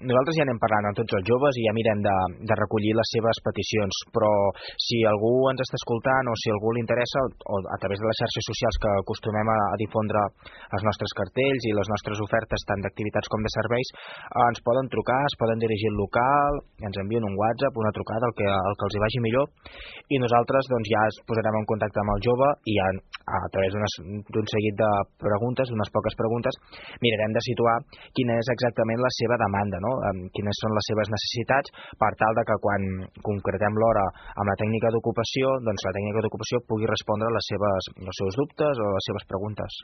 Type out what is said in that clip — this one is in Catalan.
nosaltres ja anem parlant amb tots els joves i ja mirem de recollir les seves peticions, però si algú ens està escoltant o si algú li interessa, o a través de les xarxes socials que acostumem a difondre els nostres cartells i les nostres ofertes tant d'activitats com de serveis, ens poden trucar, es poden dirigir al local, ens envien un WhatsApp, una trucada, el que els hi vagi millor, i nosaltres doncs, ja es posarem en contacte amb el jove i ja a través d'un seguit de preguntes, d'unes poques preguntes, mirarem de situar quina és exactament la seva demanda, no? Quines són les seves necessitats, per tal de que quan concretem l'hora amb la tècnica d'ocupació, doncs la tècnica d'ocupació pugui respondre a els seus dubtes o a les seves preguntes.